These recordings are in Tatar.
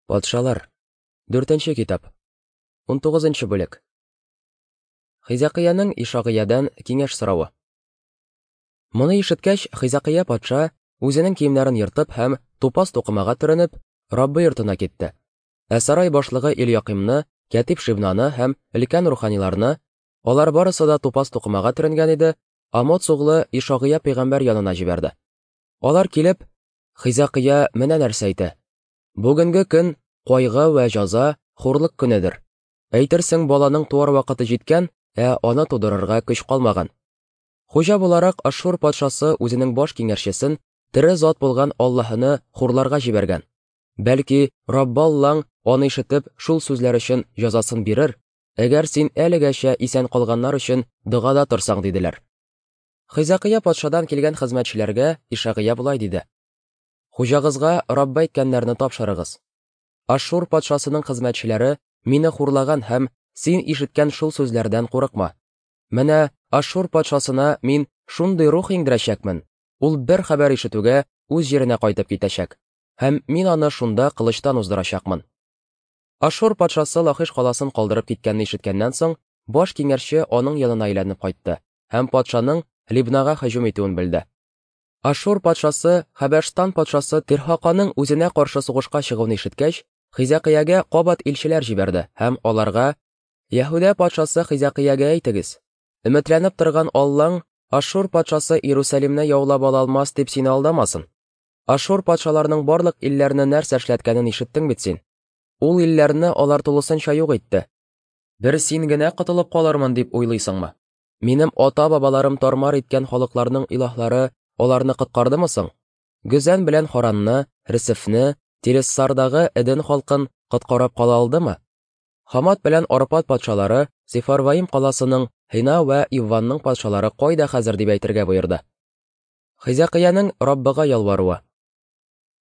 Патшалар. Дүртенче китап. 19 бүлек. Хизәкыяның Ишагыядән киңәш соравы. Моны ишеткәч, Хизәкыя патша үзенең киемнәрен ертып һәм тупас тукымага төренеп, Раббы йортына китте. Ә сарай башлыгы Ильякимны, кәтип Шибнаны һәм өлкән руханиларны, алар барысы да тупас тукымага төренгән иде, Амоц углы Ишагыя пәйгамбәр янына җибәрде. Алар килеп, Хизәкыя менә нәрсә әйтә: Бүгенге көн кайгы вә җаза, хурлык көнедер. Әйтерсең, баланың туар вакыты җиткән, ә аны тудырырга көч калмаган. Хуҗа буларак Ашшур патшасы үзенең баш киңәшчесен тере зат булган Аллаһыны хурларга җибәргән. Бәлки, Раббы Аллаң аны ишетеп, шул сүзләр өчен җазасын бирер, әгәр син әлегәчә исән калганнар өчен догада торсаң, диделәр. Хизәкыя патшадан килгән хезмәтчеләргә Ишагыя болай диде: Хуҗагызга Раббы әйткәннәрне тапшырыгыз. Ашшур патшасының хезмәтчеләре мине хурлаган һәм син ишеткән шул сүзләрдән курыкма. Менә Ашшур патшасына мин шундый рух иңдерәчәкмен, ул бер хәбәр ишетүгә үз җиренә кайтып китәчәк, һәм мин аны шунда кылычтан уздырачакмын. Ашшур патшасы Лахиш каласын калдырып киткәнне ишеткәннән соң, баш киңәшче аның янына әйләнеп кайтты һәм патшаның Либнага һөҗүм итүен белде. Ашшур патшасы Хәбәшстан патшасы Тирһаканың үзенә каршы сугышка чыгуын ишеткәч, Хизәкыягә кабат илчеләр җибәрде һәм аларга: Яһүдә патшасы Хизәкыягә әйтегез: Өметләнеп торган Аллаң Ашшур патшасы Иерусалимны яулап ала алмас дип сине алдамасын. Ашшур патшаларының барлык илләрне нәрсә эшләткәнен ишеттең бит син. Ул илләрне алар тулысынча юк итте. Бер син генә котылып калырмын дип уйлыйсыңмы? Минем ата-бабаларым тармар иткән халыкларның илаһлары аларны коткардымы соң? Гөзән белән Харанны, Ресефне, Телессардагы Эден халкын коткарып кала алдымы? Хамат белән Арпад патшалары, Сефарваим каласының Һина вә Ивванның патшалары кайда хәзер дип әйтергә боерды. Хизәкыяның Раббыга ялваруы.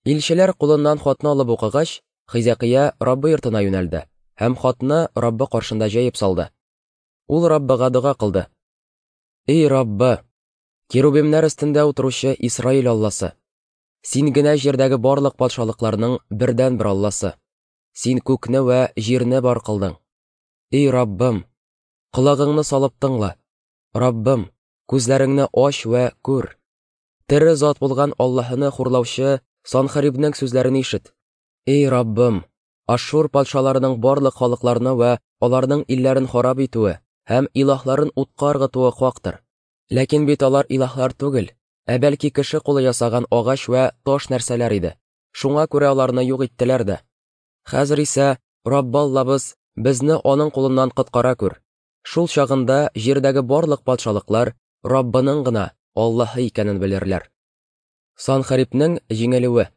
Илчеләр кулыннан хатны алып укыгач, Хизәкыя Раббы йортына юнәлде һәм хатны Раббы каршында җәеп салды. Ул Раббыга дога кылды. Эй Раббы, керубимнәр өстендә утыручы Исраил Алласы, син генә җирдәге барлык патшалыкларның бердәнбер Алласы. Син күкне вә җирне бар кылдың. Эй Раббым, колагыңны салып тыңла. Раббым, күзләреңне ач вә күр. Тере зат булган Аллаһыны хурлаучы Санхарибнең сүзләрен ишет. Эй Раббым, Ашшур патшаларының барлык халыкларны вә аларның илләрен харап итүе һәм илаһларын утка ыргытуы хактыр. Ләкин бит алар илаһлар түгел, ә бәлки кеше кулы ясаган агач вә таш нәрсәләр иде. Шуңа күрә аларны юк иттеләр дә. Хәзер исә Раббы Аллабыз безне аның кулыннан коткара күр. Шул чагында җирдәге барлык патшалыклар Раббының гына Аллаһы икәнен белерләр. Санхарибнең җиңелүе.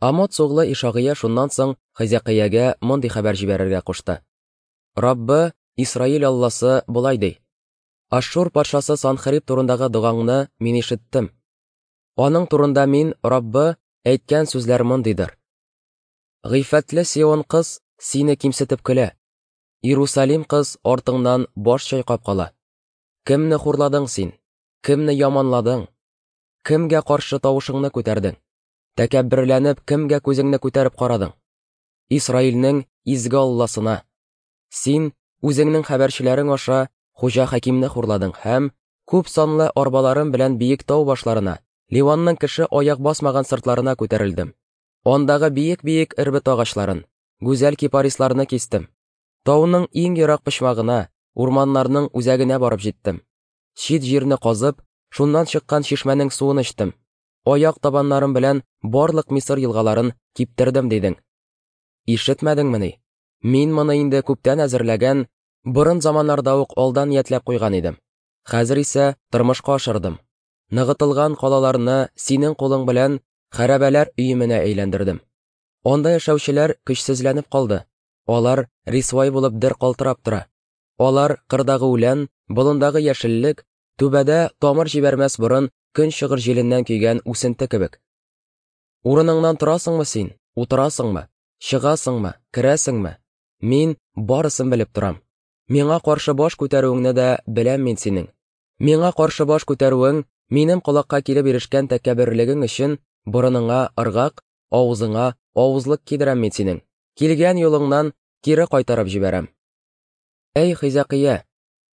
Амоц углы Ишагыя шуннан соң Хизәкыягә мондый хәбәр җибәрергә кушты. Раббы, Исраил Алласы болай ди: Ашшур патшасы Санхариб турындагы догаңны мин ишеттем. Аның турында мин, Раббы, әйткән сүзләр мондыйдыр. Гыйффәтле Сион кыз сине кимсетеп көлә. Иерусалим кыз артыңнан баш чайкап кала. Кемне хурладың син? Кемне яманладың? Кемгә каршы тавышыңны күтәрдең? Тәкәбберләнеп, кемгә күзеңне күтәреп карадың? Исраилнең изге Алласына. Син үзеңнең хәбәрчеләрең аша Хуҗа Хәкимне хурладың һәм күп санлы арбаларым белән биек тау башларына, Ливанның кеше аяк басмаган сыртларына күтәрелдем. Андагы биек-биек эрбет агачларын, гүзәл кипарисларны кистем. Тауның иң ерак почмагына, урманнарның үзәгенә барып җиттем. Чит җирне казып, шуннан чыккан чишмәнең суын эчтем. Аяк табаннарым белән барлык Мисыр елгаларын киптердем, дидең. Ишетмәдеңмени? Мин моны инде күптән әзерләгән, борын заманнарда ук алдан ниятләп куйган идем. Хәзер исә тормышка ашырдым. Ныгытылган калаларны синең кулың белән хәрабәләр өеменә әйләндердем. Анда яшәүчеләр көчсезләнеп калды. Алар рисвай булып дер калтырап тора. Алар кырдагы үлән, болындагы яшеллек, түбәдә тамыр җибәрмәс борын көнчыгыр җиленнән көйгән үсенте кебек. Урыныңнан торасыңмы син, утырасыңмы, чыгасыңмы, керәсеңме? Мин барысын белеп торам. Миңа каршы баш күтәрүеңне дә беләм мин синең. Миңа каршы баш күтәрүең, минем колакка килеп ирешкән тәкәбберлегең өчен борыныңа ыргак, Авызыңа авызлык кидерәм мин синең, килгән юлыңнан кире кайтарып җибәрәм. Әй, Хизәкия,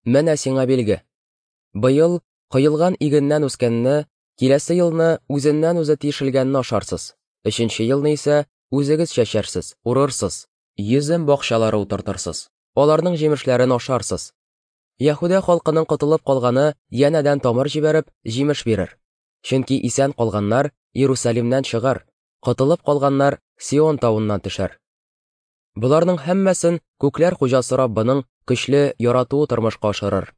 менә сиңа билге. Быел коелган игеннән үскәнне, киләсе елны үзеннән-үзе тишелгәнне ашарсыз, өченче елны исә үзегез чәчәрсез, урырсыз, йөзем бакчалары утыртырсыз, аларның җимешләрен ашарсыз. Яһүдә халкының котылып калганы янәдән тамыр җибәреп, җимеш бирер. Чөнки исән калганнар Иерусалимнән чыгар, котылып калганнар Сион тавыннан төшәр. Боларның һәммәсен күкләр хуҗасы Раббының көчле яратуы тормышка ашырыр.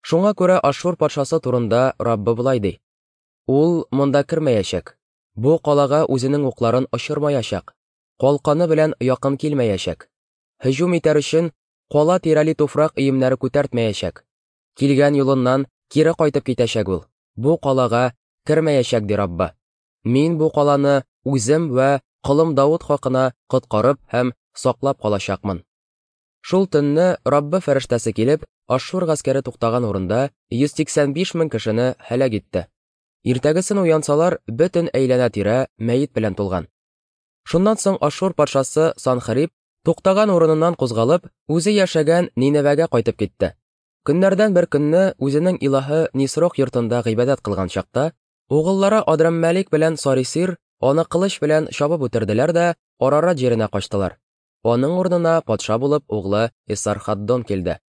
Шуңа күрә Ашшур патшасы турында Раббы болай ди: Ул монда кермәячәк, бу калага үзенең укларын очырмаячак, калканы белән якын килмәячәк. Һөҗүм итәр өчен кала тирәли туфрак өемнәре күтәртмәячәк. Килгән юлыннан кире кайтып китәчәк ул, бу калага кермәячәк, ди Раббы. Мин бу каланы үзем вә колым Давыт хакына коткарып һәм саклап калачакмын. Шул төнне Раббы фәрештәсе килеп, Ашшур гаскәре туктаган урында 185 мең кешене һәлак итте. Иртәгесен уянсалар, бөтен әйләнә-тирә мәет белән тулган. Шуннан соң Ашшур патшасы Санхериб туктаган урыныннан кузгалып, үзе яшәгән Ниневәгә кайтып китте. Көннәрдән бер көнне үзенең илаһы Нисрох йортында гыйбадәт кылган чакта, угыллары Адраммәлик белән Сарисир аны кылыч белән чабып үтерделәр дә Арарат җиренә качтылар. Аның урынына патша булып углы Эсархаддон килде.